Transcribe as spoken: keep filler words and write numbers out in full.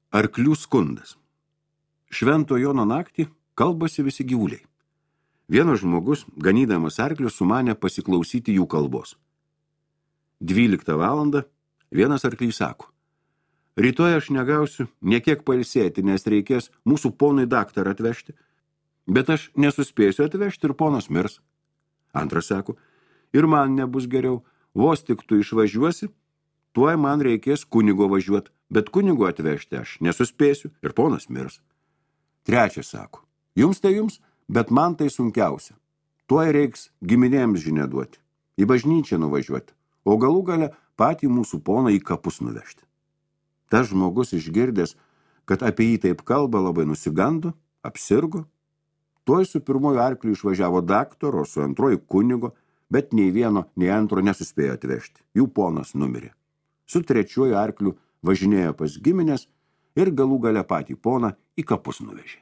Arklių skundas. Švento Jono naktį kalbasi visi gyvuliai. Vienas žmogus, ganydamas arklius, sumanė pasiklausyti jų kalbos. Dvyliktą valandą vienas arklys sako: rytoj aš negausiu niekiek pailsėti, nes reikės mūsų ponui daktarą atvežti, bet aš nesuspėsiu atvežti ir ponas mirs. Antras sako: ir man nebus geriau, vos tik tu išvažiuosi, tuoj man reikės kunigo važiuoti, bet kunigo atvežti aš nesuspėsiu ir ponas mirs. Trečias sako: jums tai jums, bet man tai sunkiausia. Tuoj reiks giminėms žinia duoti, į bažnyčią nuvažiuoti, o galų gale patį mūsų poną į kapus nuvežti. Tas žmogus išgirdęs, kad apie jį taip kalba, labai nusigando, apsirgo. Tuoj su pirmoju arkliu išvažiavo daktaro, su antroju kunigo, bet nei vieno, nei antro nesuspėjo atvežti. Jų ponas numirė. Su trečiuoju arkliu važinėjo pas giminės ir galų gale patį poną į kapus nuvežė.